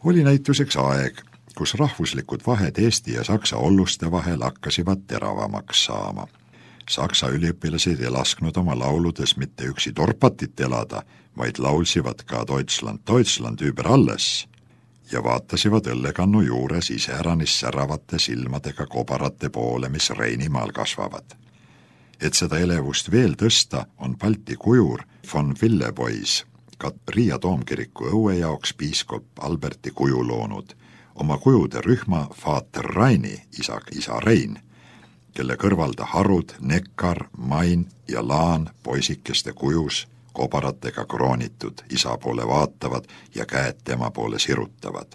Oli näituseks aeg, kus rahvuslikud vahed Eesti ja Saksa olluste vahel hakkasivad teravamaks saama. Saksa üliõpilased ei lasknud oma lauludes mitte üksi torpatit elada, vaid laulsivad ka Deutschland, Deutschland über alles ja vaatasivad õllekannu juures iseäranis säravate silmadega kobarate poole, mis Reinimaal kasvavad. Et seda elevust veel tõsta, on Balti kujur von Villebois ka Riia toomkiriku õue jaoks piiskop Alberti kuju loonud, oma kujude rühma Vater Raini, isa Rein, kelle kõrval ta harud, Neckar, Main ja Laan poisikeste kujus kobaratega kroonitud, isa poole vaatavad ja käed tema poole sirutavad.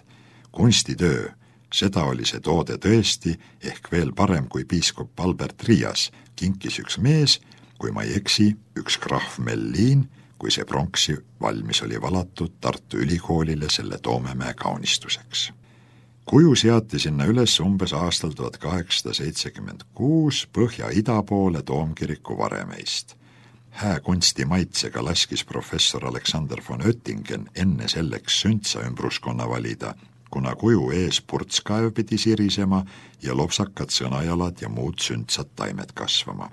Kunstitöö, seda oli see toode tõesti, ehk veel parem kui piiskop Albert Riias, kinkis üks mees, kui ma ei eksi, üks krahv Mellin, kui see pronksi valmis oli valatud Tartu Ülikoolile selle Toomemäe kaunistuseks. Kuju seati sinna üles umbes aastal 1876 põhja-ida poole toomkiriku varemeist. Hää kunsti maitsega laskis professor Alexander von Oettingen enne selleks süntsa ümbruskonna valida, kuna kuju ees purtskaev pidi sirisema ja lopsakad sõnajalad ja muud süntsad taimed kasvama.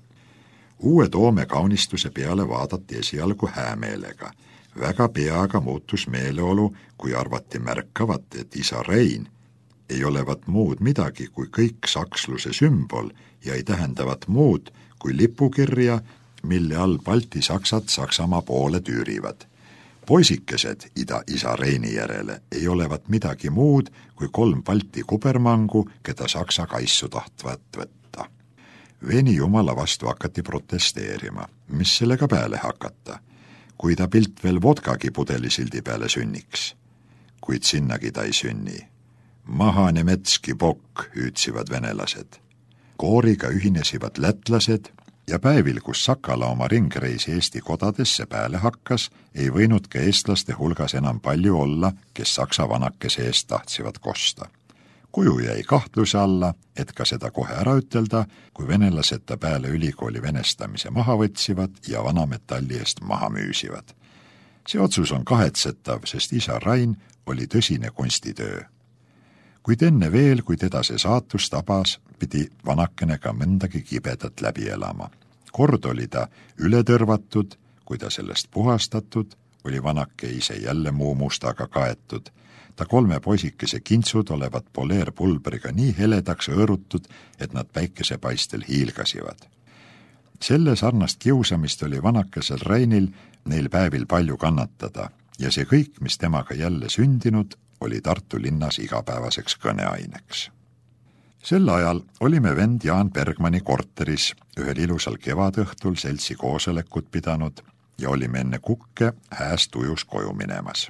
Uue Toome kaunistuse peale vaadati esialgu häämeelega. Väga peaga muutus meeleolu, kui arvati märkavat, et isa Rein ei olevat muud midagi kui kõik saksluse sümbol ja ei tähendavat muud kui lipukirja, mille all Balti saksad Saksamaa poole tüürivad. Poisikesed isa Reini järele ei olevat midagi muud kui 3 Balti kubermangu, keda Saksa kaissu tahtvat võtta. Veni jumala vastu hakati protesteerima, mis sellega peale hakata, kui ta pilt veel vodkagi pudelisildi peale sünniks. Kuid sinnagi ta ei sünni. Maha nemetski pokk, hüütsivad venelased. Kooriga ühinesivad lätlased ja päevil, kus Sakala oma ringreisi Eesti kodadesse peale hakkas, ei võinud ka eestlaste hulgas enam palju olla, kes Saksa vanakese eest tahtsиvad kosta. Kuju jäi kahtluse alla, et ka seda kohe ära ütelda, kui venelased ta peale ülikooli venestamise maha võtsivad ja vanametalli eest maha müüsivad. See otsus on kahetsetav, sest isa Rain oli tõsine kunstitöö. Kuid enne veel, kui teda see saatus tabas, pidi vanakene ka mõndagi kibedat läbi elama. Kord oli ta üle tõrvatud, kui ta sellest puhastatud, oli vanake ise jälle muu mustaga kaetud. Ta 3 poisikese kintsud olevat poleerpulbriga nii heledaks õõrutud, et nad päikesepaistel hiilgasivad. Selle sarnast kiusamist oli vanakesel Reinil neil päevil palju kannatada ja see kõik, mis temaga jälle sündinud, oli Tartu linnas igapäevaseks kõneaineks. Sel ajal olime vend Jaan Bergmanni korteris ühel ilusal kevadõhtul seltsi koosolekut pidanud ja olime enne kukke hääst ujus koju minemas.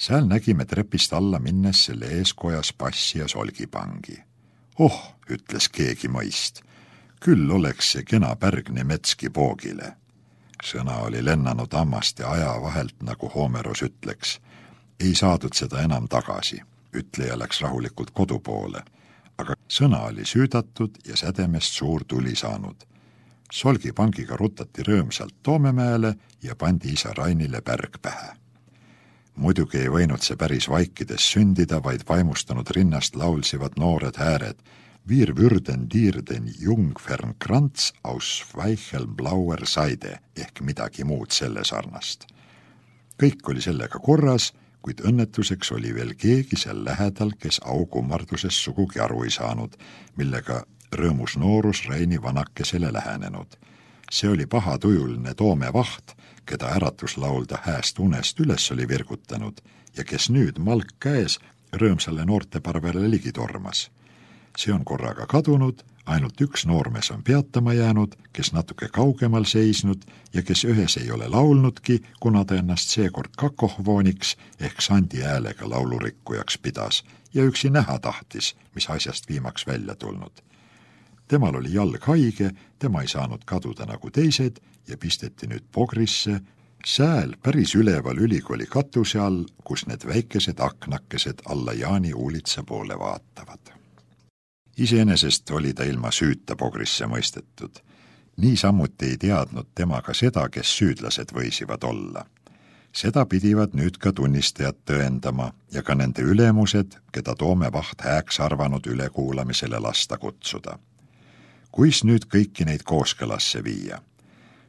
Seal nägime trepist alla minnes selle eeskojas passi ja solgipangi. Oh, ütles keegi mõist, küll oleks see kena pärg Nemetski poogile. Sõna oli lennanud ammast ja aja vahelt, nagu Homeros ütleks. Ei saadud seda enam tagasi, ütleja läks rahulikult kodu poole, aga sõna oli süüdatud ja sädemest suur tuli saanud. Solgipangiga rutati rõõmsalt Toomemäele ja pandi isa Rainile pärg pähe. Muidugi ei võinud see päris vaikides sündida, vaid vaimustanud rinnast laulsivad noored hääred. Wir würden dir den Jungfernkranz aus Weichelblauer Seide ehk midagi muud selle sarnast. Kõik oli sellega korras, kuid õnnetuseks oli veel keegi seal lähedal, kes aukummarduses sugugi aru ei saanud, millega rõõmus noorus Reini vanakesele lähenenud. See oli pahatujuline Toome vaht, keda äratuslaulda hääst unest üles oli virkutanud ja kes nüüd malk käes rõõmsale noorteparvele ligi tormas. See on korraga kadunud, ainult üks noormees on peatama jäänud, kes natuke kaugemal seisnud ja kes ühes ei ole laulnudki, kuna ta ennast seekord kakohvooniks ehk sandi häälega laulurikkujaks pidas ja üksi näha tahtis, mis asjast viimaks välja tulnud. Temal oli jalg haige, tema ei saanud kaduda nagu teised ja pisteti nüüd pogrisse, sääl päris üleval ülikooli katuse all, kus need väikesed aknakesed alla Jaani uulitsa poole vaatavad. Iseenesest oli ta ilma süüta pogrisse mõistetud. Nii samuti ei teadnud tema ka seda, kes süüdlased võisivad olla. Seda pidivad nüüd ka tunnistajad tõendama ja ka nende ülemused, keda Toome Vaht hääks arvanud ülekuulamisele lasta kutsuda. Kuis nüüd kõiki neid kooskõlasse viia?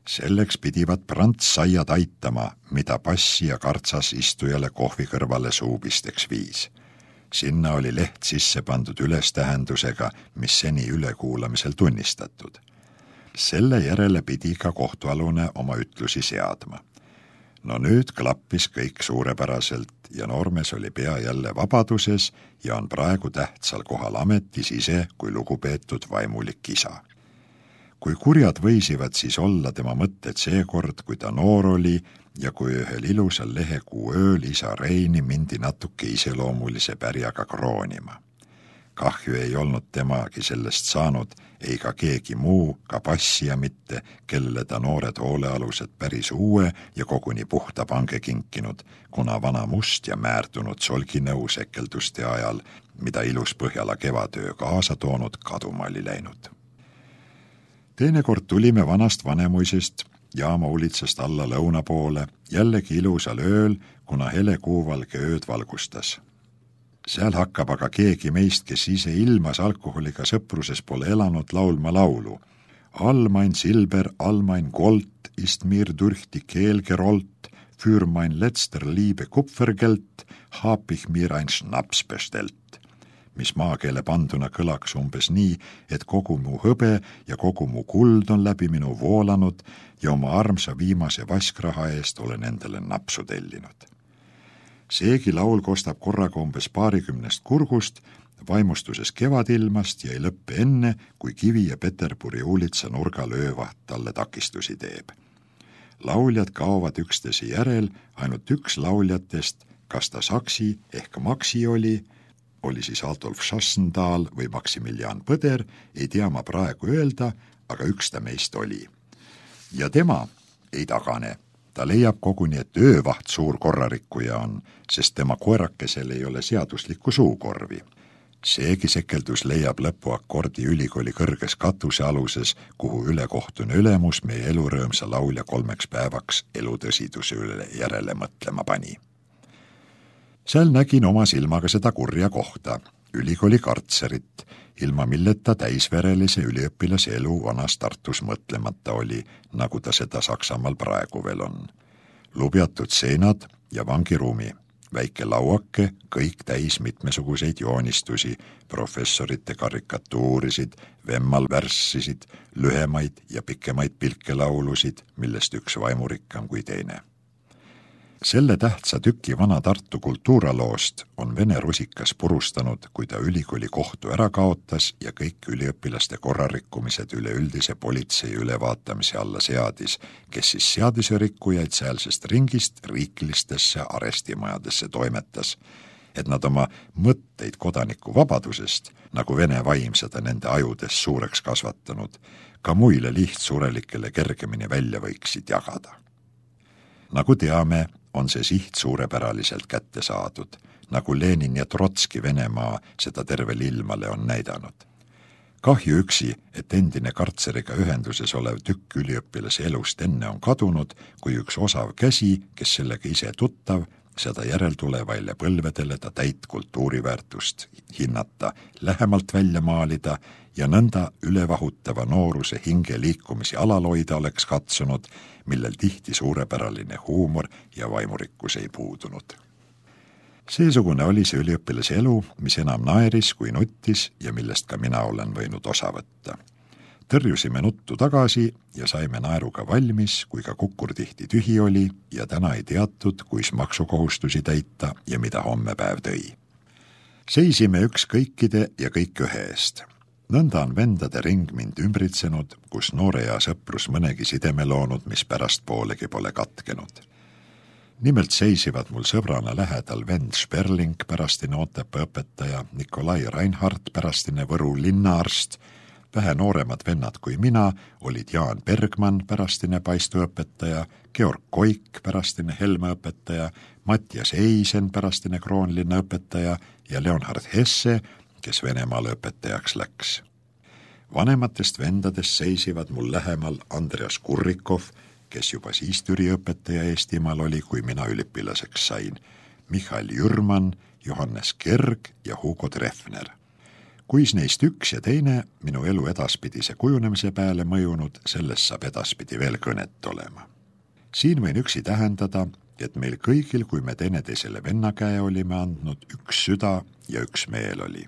Selleks pidivad prantsaiad aitama, mida passi ja kartsas istujale kohvi kõrvale suupisteks viis. Sinna oli leht sisse pandud ülestähendusega, mis seni ülekuulamisel tunnistatud. Selle järele pidi ka kohtualune oma ütlusi seadma. No nüüd klappis kõik suurepäraselt ja noormees oli pea jälle vabaduses ja on praegu tähtsal kohal ametis ise kui lugupeetud vaimulik isa. Kui kurjad võisivad siis olla tema mõtted seekord, kui ta noor oli ja kui ühel ilusal lehekuu ööl isa Reini mindi natuke iseloomulise pärjaga kroonima. Kahju ei olnud temagi sellest saanud, ei ka keegi muu, ka passija mitte, kellele ta noored hoolealused päris uue ja koguni puhta pange kinkinud, kuna vana must ja määrdunud solginõu sekelduste ajal, mida ilus Põhjala kevadöö kaasa toonud, kaduma oli läinud. Teinekord tulime vanast Vanemuisest Jaama ulitsast alla lõuna poole, jällegi ilusal ööl, kuna hele kuuvalge ööd valgustas. Seal hakkab aga keegi meist, kes ise ilmas alkoholiga sõpruses pole elanud, laulma laulu. All mein Silber, all mein Gold, ist mir durch die Kehl gerollt, für mein letzter Liebe Kupfergeld, hab ich mir ein Schnaps bestellt. Mis maakeele panduna kõlaks umbes nii, et kogu mu hõbe ja kogu mu kuld on läbi minu voolanud ja oma armsa viimase vaskraha eest olen endale napsu tellinud. Seegi laul kostab korraga umbes 20 kurgust, vaimustuses kevadilmast ja ei lõppe enne, kui Kivi ja Peterburi ulitsa nurgal öövaht talle takistusi teeb. Lauljad kaovad üksteise järel, ainult üks lauljatest, kas ta Saksi ehk Maksi oli siis Adolf Schassendal või Maximilian Põder, ei tea ma praegu öelda, aga üks ta meist oli. Ja tema ei tagane. Ta leiab koguni, et öövaht suur korrarikkuja on, sest tema koerakesel ei ole seaduslikku suukorvi. Seegi sekeldus leiab lõpuakordi ülikooli kõrges katusealuses, kuhu ülekohtune ülemus meie elurõõmsa laulja 3 päevaks elutõsiduse üle järele mõtlema pani. Seal nägin oma silmaga seda kurja kohta, ülikooli kartserit, ilma milleta täisverelise üliõpilase elu vanas Tartus mõtlemata oli, nagu ta seda Saksamaal praegu veel on. Lubjatud seinad ja vangiruumi, väike lauake, kõik täis mitmesuguseid joonistusi, professorite karikatuurisid, vemmal värssisid, lühemaid ja pikemaid pilkelaulusid, millest üks vaimurikkam kui teine. Selle tähtsa tüki vana Tartu kultuuraloost on Vene rusikas purustanud, kui ta ülikooli kohtu ära kaotas ja kõik üliõpilaste korrarikkumised üleüldise politsei ülevaatamise alla seadis, kes siis seaduserikkujaid sealsest ringist riiklistesse arestimajadesse toimetas, et nad oma mõtteid kodanikuvabadusest, nagu Vene vaimsed nende ajudes suureks kasvatanud, ka muile lihtsurelikele kergemini välja võiksid jagada. Nagu teame, on see siht suurepäraliselt kätte saadud, nagu Lenin ja Trotski Venemaa seda tervel ilmale on näidanud. Kahju üksi, et endine kartseriga ühenduses olev tükk üliõpilase elust enne on kadunud, kui üks osav käsi, kes sellega ise tuttav, seda järeltulevaile põlvedele ta täit kultuuriväärtust hinnata, lähemalt välja maalida ja nõnda ülevahutava nooruse hinge liikumisi alaloida oleks katsunud, millel tihti suurepäraline huumor ja vaimurikkus ei puudunud. Seesugune oli see üliõpilase elu, mis enam naeris kui nuttis ja millest ka mina olen võinud osa võtta. Tõrjusime nuttu tagasi ja saime naeruga valmis, kui ka kukkur tihti tühi oli ja täna ei teatud, kuis maksukohustusi täita ja mida homme päev tõi. Seisime üks kõikide ja kõik ühe eest. Nõnda on vendade ring mind ümbritsenud, kus noore ja sõprus mõnegi sideme loonud, mis pärast poolegi pole katkenud. Nimelt seisivad mul sõbrana lähedal vend Sperling, pärastine Otepää õpetaja, Nikolai Reinhardt, pärastine Võru linnaarst, vähe nooremad vennad kui mina olid Jaan Bergman, pärastine paistuõpetaja, Georg Koik, pärastine Helme õpetaja, Mattias Eisen, pärastine Kroonlinna õpetaja ja Leonhard Hesse, kes Venemaale õpetajaks läks. Vanematest vendadest seisivad mul lähemal Andreas Kurrikov, kes juba siis Türi-õpetaja Eestimaal oli, kui mina üliõpilaseks sain, Michael Jürman, Johannes Kerg ja Hugo Treffner. Kuis neist üks ja teine minu elu edaspidise kujunemise peale mõjunud, sellest saab edaspidi veel kõnet olema. Siin võin üksi tähendada, et meil kõigil, kui me teineteisele vennakäe olime andnud, üks süda ja üks meel oli.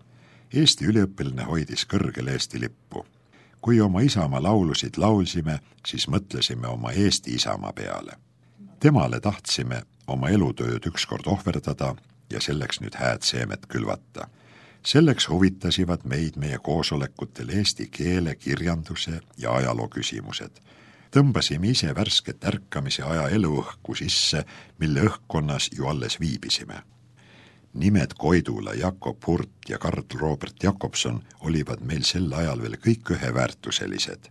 Eesti üliõpilane hoidis kõrgel Eesti lippu. Kui oma isamaa laulusid laulsime, siis mõtlesime oma Eesti isamaa peale. Temale tahtsime oma elutööd ükskord ohverdada ja selleks nüüd hääd seemet külvata. Selleks huvitasivad meid meie koosolekutel eesti keele, kirjanduse ja ajaloo küsimused. Tõmbasime ise värsket ärkamise aja eluõhku sisse, mille õhkkonnas ju alles viibisime. Nimed Koidula, Jakob Hurt ja Karl Robert Jakobson olivad meil sel ajal veel kõik üheväärtuselised.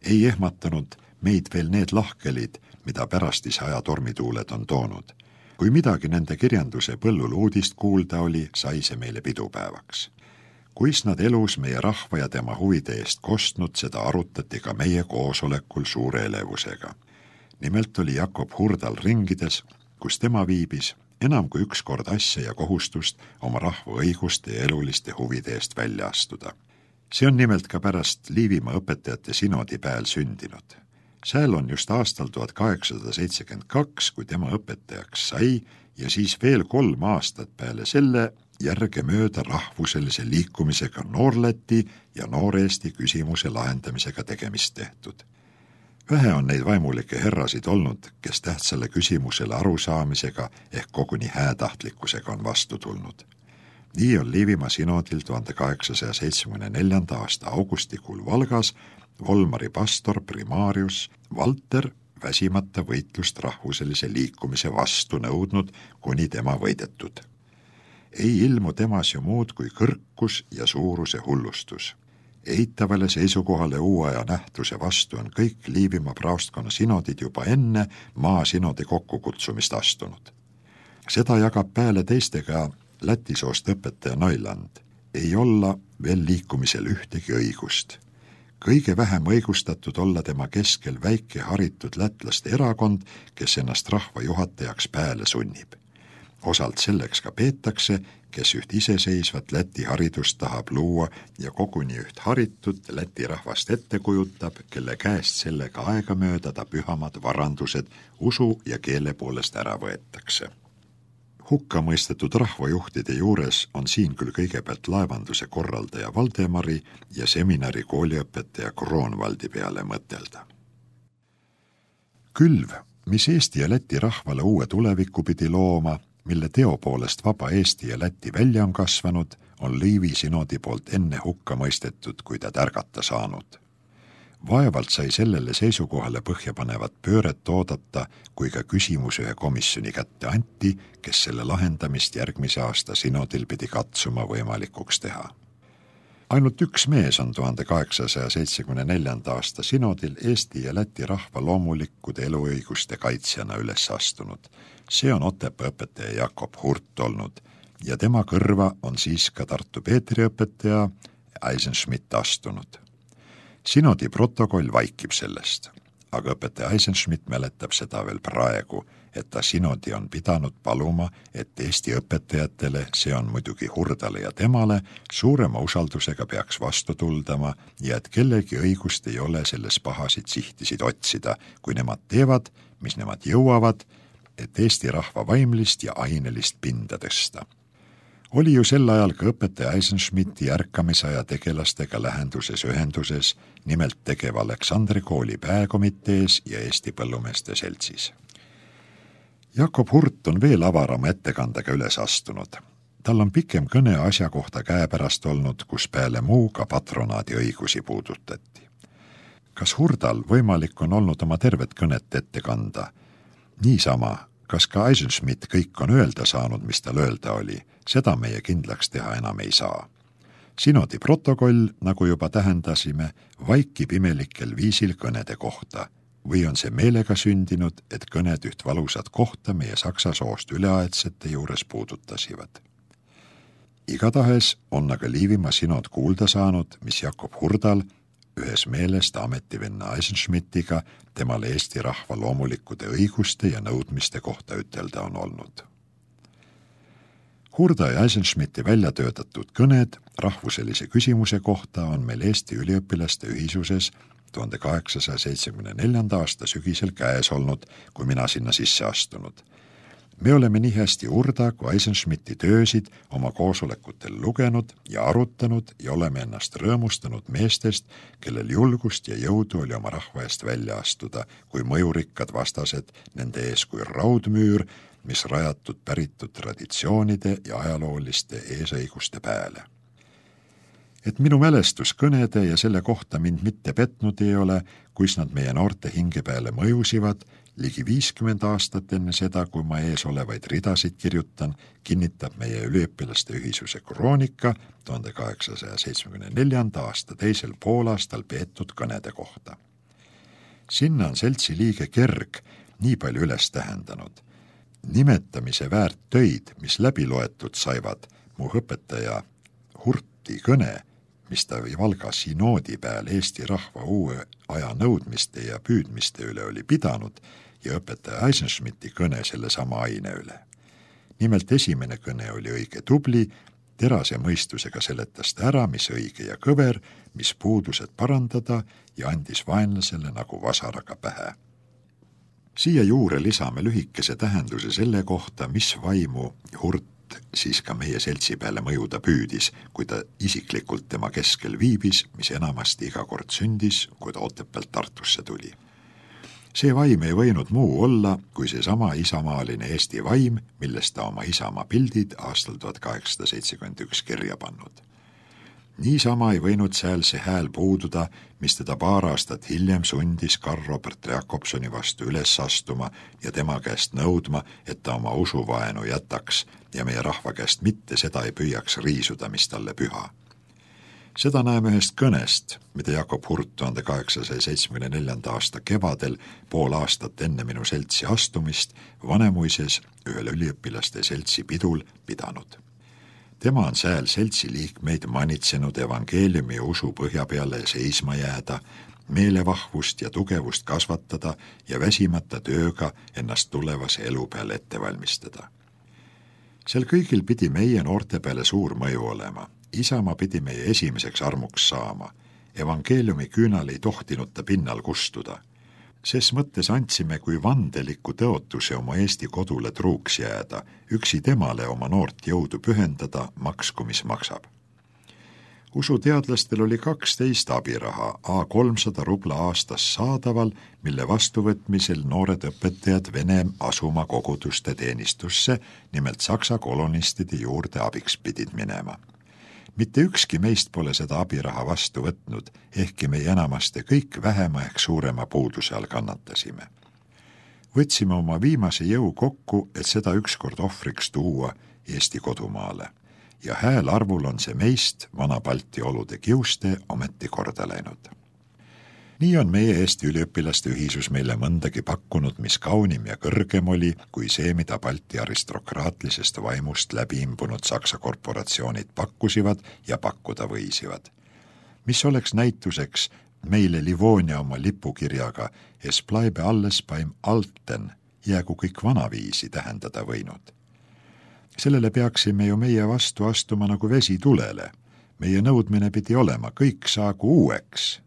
Ei ehmatanud meid veel need lahkelid, mida pärastise aja tormituuled on toonud. Kui midagi nende kirjanduse põllul uudist kuulda oli, sai see meile pidupäevaks. Kuis nad elus meie rahva ja tema huvide eest kostnud, seda arutati ka meie koosolekul suure elevusega. Nimelt oli Jakob Hurdal ringides, kus tema viibis, enam kui üks kord asja ja kohustust oma rahva õiguste ja eluliste huvide eest välja astuda. See on nimelt ka pärast Liivimaa õpetajate sinodi pääl sündinud. Sääl on just aastal 1872, kui tema õpetajaks sai ja siis veel 3 aastat peale selle järge mööda rahvuselise liikumisega Noor-Läti ja Noor-Eesti küsimuse lahendamisega tegemist tehtud. Vähe on neid vaimulikke herrasid olnud, kes tähtsale küsimusele arusaamisega ehk koguni häätahtlikkusega on vastu tulnud. Nii on Liivimaa sinodil 1874. aasta augustikuul Valgas Volmari pastor primaarius Valter väsimata võitlust rahvuselise liikumise vastu nõudnud, kuni tema võidetud. Ei ilmu temas ju muud kui kõrkus ja suuruse hullustus. Eitavale seisukohale uuaja nähtuse vastu on kõik Liivimaa praostkonna sinodid juba enne maasinodi kokkukutsumist astunud. Seda jagab pääle teistega Läti soost õpetaja Noiland. Ei olla veel liikumisel ühtegi õigust. Kõige vähem õigustatud olla tema keskel väike haritud lätlaste erakond, kes ennast rahva juhatajaks pääle sunnib. Osalt selleks ka peetakse, kes üht iseseisvat Läti haridust tahab luua ja koguni üht haritud Läti rahvast ette kujutab, kelle käest sellega aegamööda ta pühamad varandused usu ja keele poolest ära võetakse. Hukka mõistetud rahvajuhtide juures on siin küll kõigepealt laevanduse korraldaja Valdemari ja seminari kooliõpetaja Kroonvaldi peale mõtelda. Külv, mis Eesti ja Läti rahvale uue tuleviku pidi looma, mille teo poolest vaba Eesti ja Läti välja on kasvanud, on Liivi sinodi poolt enne hukka mõistetud, kui ta tärgata saanud. Vaevalt sai sellele seisukohale põhjapanevat pööret oodata, kui ka küsimus ühe komisjoni kätte anti, kes selle lahendamist järgmise aasta sinodil pidi katsuma võimalikuks teha. Ainult üks mees on 1874. aasta sinodil Eesti ja Läti rahva loomulikkude eluõiguste kaitsjana üles astunud. See on Otepää õpetaja Jakob Hurt olnud ja tema kõrva on siis ka Tartu Peetri õpetaja Eisenschmidt astunud. Sinodi protokoll vaikib sellest, aga õpetaja Eisenschmidt mäletab seda veel praegu, et ta sinodi on pidanud paluma, et Eesti õpetajatele, see on muidugi Hurdale ja temale, suurema usaldusega peaks vastu tuldama ja et kellegi õigust ei ole selles pahasid sihtisid otsida, kui nemad teevad, mis nemad jõuavad, et Eesti rahva vaimlist ja ainelist pinda tõsta. Oli ju sel ajal ka õpetaja Eisenschmidti ärkamisaja tegelastega lähenduses ühenduses, nimelt tegev Aleksandri kooli pääkomitees ja Eesti Põllumeeste Seltsis. Jakob Hurt on veel avarama ettekandega üles astunud. Tal on pikem kõne asja kohta käepärast olnud, kus peale muu ka patronaadi õigusi puudutati. Kas Hurdal võimalik on olnud oma tervet kõnet ette kanda? Niisama, kas ka Eisenschmidt kõik on öelda saanud, mis tal öelda oli, seda meie kindlaks teha enam ei saa. Sinodi protokoll, nagu juba tähendasime, vaikib imelikel viisil kõnede kohta. Või on see meelega sündinud, et kõned üht valusat kohta meie saksa soost üleaedsete juures puudutasivad. Igatahes on aga Liivimaa sinod kuulda saanud, mis Jakob Hurdal ühes meelest ametivenna Eisenschmidtiga temale Eesti rahva loomulikkude õiguste ja nõudmiste kohta ütelda on olnud. Hurda ja Eisenschmidti välja töötatud kõned rahvuselise küsimuse kohta on meil Eesti üliõpilaste ühisuses 1874. aasta sügisel käes olnud, kui mina sinna sisse astunud. Me oleme nii hästi Hurda kui Eisenschmidti töösid oma koosolekutel lugenud ja arutanud ja oleme ennast rõõmustanud meestest, kellel julgust ja jõudu oli oma rahva eest välja astuda, kui mõjurikkad vastased nende ees kui raudmüür, mis rajatud päritud traditsioonide ja ajalooliste eesõiguste pääle. Et minu mälestuskõnede ja selle kohta mind mitte petnud ei ole, kuis nad meie noorte hinge peale mõjusivad, ligi 50 aastat enne seda, kui ma ees olevaid ridasid kirjutan, kinnitab meie üliõpilaste ühisuse kroonika 1874. aasta teisel poolaastal peetud kõnede kohta. Sinna on seltsi liige Kerg nii palju üles tähendanud. Nimetamise väärt töid, mis läbi loetud saivad, mu õpetaja Hurti kõne, mis ta Valga sinoodi peal Eesti rahva uue aja nõudmiste ja püüdmiste üle oli pidanud ja õpetaja Eisenschmidti kõne selle sama aine üle. Nimelt esimene kõne oli õige tubli, terase mõistusega seletas ta ära, mis õige ja kõver, mis puudused parandada ja andis vaenlasele nagu vasaraga pähe. Siia juurde lisame lühikese tähenduse selle kohta, mis vaimu Hurt siis ka meie seltsi peale mõjuda püüdis, kui ta isiklikult tema keskel viibis, mis enamasti iga kord sündis, kui ta Otepäält Tartusse tuli. See vaim ei võinud muu olla, kui seesama isamaaline Eesti vaim, millest ta oma isamaa pildid aastal 1871 kirja pannud. Niisama ei võinud seal see hääl puududa, mis teda paar aastat hiljem sundis Karl Robert Jakobsoni vastu üles astuma ja tema käest nõudma, et ta oma usuvaenu jätaks ja meie rahva käest mitte seda ei püüaks riisuda, mis talle püha. Seda näeme ühest kõnest, mida Jakob Hurt 1874. aasta kevadel, pool aastat enne minu seltsi astumist, Vanemuises ühel üliõpilaste seltsi pidul pidanud. Tema on sääl seltsi liikmeid manitsenud evangeeliumi ja usu põhja peale seisma jääda, meelevahvust ja tugevust kasvatada ja väsimata tööga ennast tulevase elu peale ette valmistada. Sel kõigil pidi meie noorte peale suur mõju olema. Isamaa pidi meie esimeseks armuks saama. Evangeeliumi küünal ei tohtinud ta pinnal kustuda. Ses mõttes andsime kui vandeliku tõotuse oma Eesti kodule truuks jääda, üksi temale oma noort jõudu pühendada, maksku mis maksab. Usuteadlastel oli 12 abiraha, A300 rubla aastas saadaval, mille vastuvõtmisel noored õpetajad Vene asuma koguduste teenistusse, nimelt Saksa kolonistide juurde abiks pidid minema. Mitte ükski meist pole seda abiraha vastu võtnud, ehkki meie enamaste kõik vähema ehk suurema puuduse all kannatasime. Võtsime oma viimase jõu kokku, et seda ükskord ohvriks tuua Eesti kodumaale. Ja hääl arvul on see meist, vana Balti olude kiuste, ometi korda läinud. Nii on meie Eesti üliõpilaste ühisus meile mõndagi pakkunud, mis kaunim ja kõrgem oli, kui see, mida Balti aristokraatlisest vaimust läbi imbunud Saksa korporatsioonid pakkusivad ja pakkuda võisivad. Mis oleks näituseks meile Livonia oma lipukirjaga Es bleibe alles beim Alten, jäägu kõik vanaviisi tähendada võinud. Sellele peaksime ju meie vastu astuma nagu vesi tulele. Meie nõudmine pidi olema, kõik saagu uueks.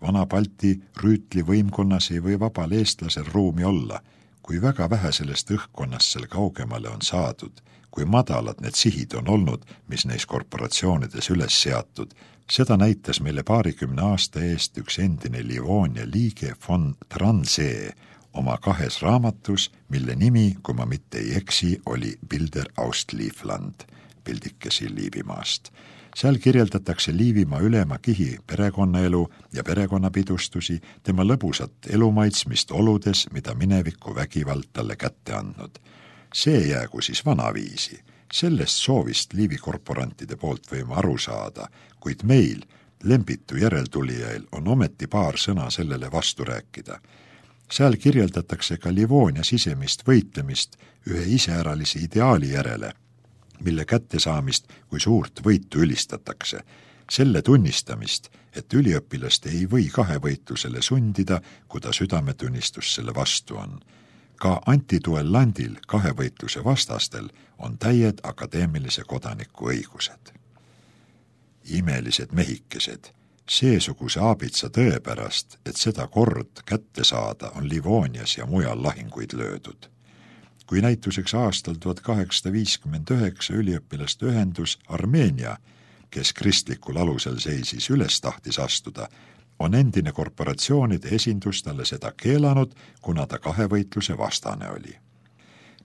Vana Balti rüütli võimkonnas ei või vabal eestlasel ruumi olla, kui väga vähe sellest õhkkonnast sel kaugemale on saadud, kui madalad need sihid on olnud, mis neis korporatsioonides üles seatud. Seda näitas meile 20 aasta eest üks endine Livonia liige von Transee oma 2 raamatus, mille nimi, kui ma mitte ei eksi, oli Bilder aus Liivland, pildikesi Liivimaast. Seal kirjeldatakse Liivimaa ülema kihi perekonnaelu ja perekonnapidustusi, tema lõbusat elumaitsmist oludes, mida mineviku vägivald talle kätte andnud. See jäägu siis vanaviisi. Sellest soovist Liivi korporantide poolt võime aru saada, kuid meil, lembitu järeltulijail, on ometi paar sõna sellele vastu rääkida. Seal kirjeldatakse ka Livonia sisemist võitlemist ühe iseäralise ideaali järele, mille kättesaamist kui suurt võitu ülistatakse. Selle tunnistamist, et üliõpilast ei või kahevõitlusele sundida, kui ta südametunnistus selle vastu on. Ka antiduellandil kahevõitluse vastastel on täied akadeemilise kodaniku õigused. Imelised mehikesed, seesuguse aabitsa tõe pärast, et seda kord kätte saada, on Livonias ja mujal lahinguid löödud. Kui näituseks aastal 1859 üliõpilaste ühendus Armeenia, kes kristlikul alusel seisis, üles tahtis astuda, on endine korporatsioonide esindus talle seda keelanud, kuna ta kahevõitluse vastane oli.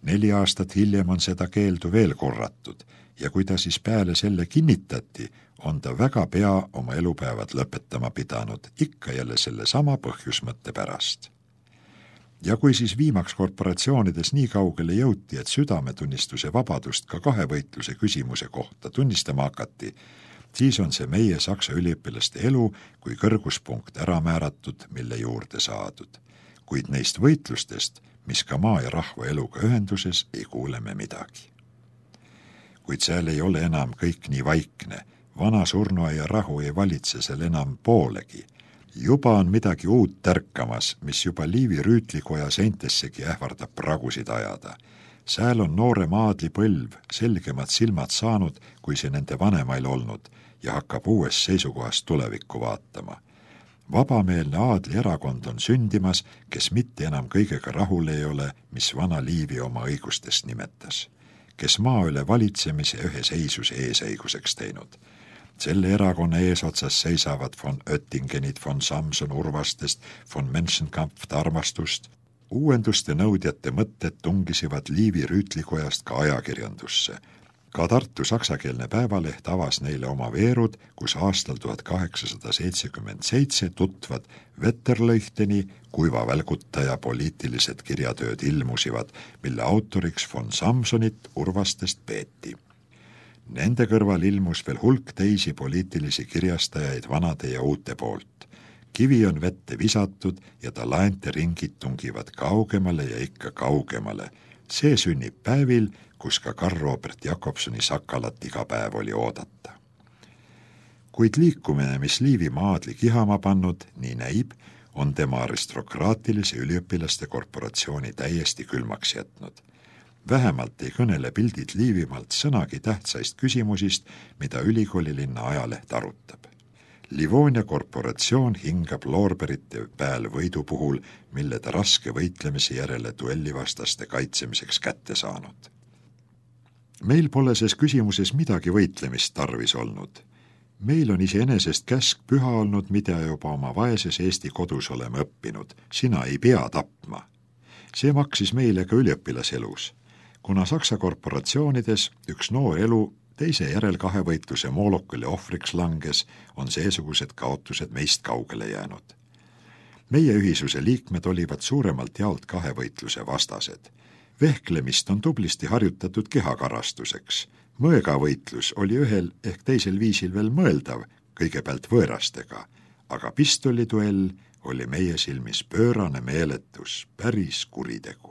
4 aastat hiljem on seda keeldu veel korratud ja kui ta siis peale selle kinnitati, on ta väga pea oma elupäevad lõpetama pidanud, ikka jälle selle sama põhjusmõtte pärast. Ja kui siis viimaks korporatsioonides nii kaugele jõuti, et südametunnistuse vabadust ka kahevõitluse küsimuse kohta tunnistama hakati, siis on see meie saksa üliõpilaste elu kui kõrguspunkt ära määratud, mille juurde saadud. Kuid neist võitlustest, mis ka maa ja rahva eluga ühenduses, ei kuule me midagi. Kuid seal ei ole enam kõik nii vaikne, vana surnuaia rahu ei valitse seal enam poolegi. Juba on midagi uut tärkamas, mis juba Liivi rüütlikoja seintessegi ähvardab pragusid ajada. Sääl on noorem aadlipõlv selgemad silmad saanud, kui see nende vanemail olnud, ja hakkab uues seisukohast tulevikku vaatama. Vabameelne aadlierakond on sündimas, kes mitte enam kõigega rahul ei ole, mis vana Liivi oma õigustest nimetas, kes maa üle valitsemise ühe seisuse eesõiguseks teinud. Selle erakonna eesotsas seisavad von Oettingenid, von Samson Urvastest, von Menschenkampft armastust. Uuenduste nõudjate mõtted tungisivad Liivi rüütlikojast ka ajakirjandusse. Ka Tartu saksakeelne päevaleht avas neile oma veerud, kus aastal 1877 tutvad Wetterleuchteni kuivavälgutaja poliitilised kirjatööd ilmusivad, mille autoriks von Samsonit Urvastest peeti. Nende kõrval ilmus veel hulk teisi poliitilisi kirjastajaid vanade ja uute poolt. Kivi on vette visatud ja talaente ringid tungivad kaugemale ja ikka kaugemale. See sünnib päevil, kus ka Karl Robert Jakobsoni Sakalat iga päev oli oodata. Kuid liikumine, mis Liivi maadli kihama pannud, nii näib, on tema aristokraatilise üliõpilaste korporatsiooni täiesti külmaks jätnud. Vähemalt ei kõnele pildid Liivimaalt sõnagi tähtsaist küsimusist, mida ülikoolilinna ajaleht arutab. Livonia korporatsioon hingab loorberite pääl võidu puhul, mille ta raske võitlemise järele duellivastaste kaitsemiseks kätte saanud. Meil pole ses küsimuses midagi võitlemist tarvis olnud. Meil on iseenesest käsk püha olnud, mida juba oma vaeses Eesti kodus oleme õppinud. Sina ei pea tapma. See maksis meile ka üliõpilaselus. Kuna Saksa korporatsioonides üks noor elu teise järel kahevõitluse moolokule ohvriks langes, on seesugused kaotused meist kaugele jäänud. Meie ühisuse liikmed olivad suuremalt jaolt kahevõitluse vastased. Vehklemist on tublisti harjutatud kehakarastuseks. Mõõgavõitlus oli ühel ehk teisel viisil veel mõeldav, kõigepealt võõrastega, aga pistoliduell oli meie silmis pöörane meeletus, päris kuritegu.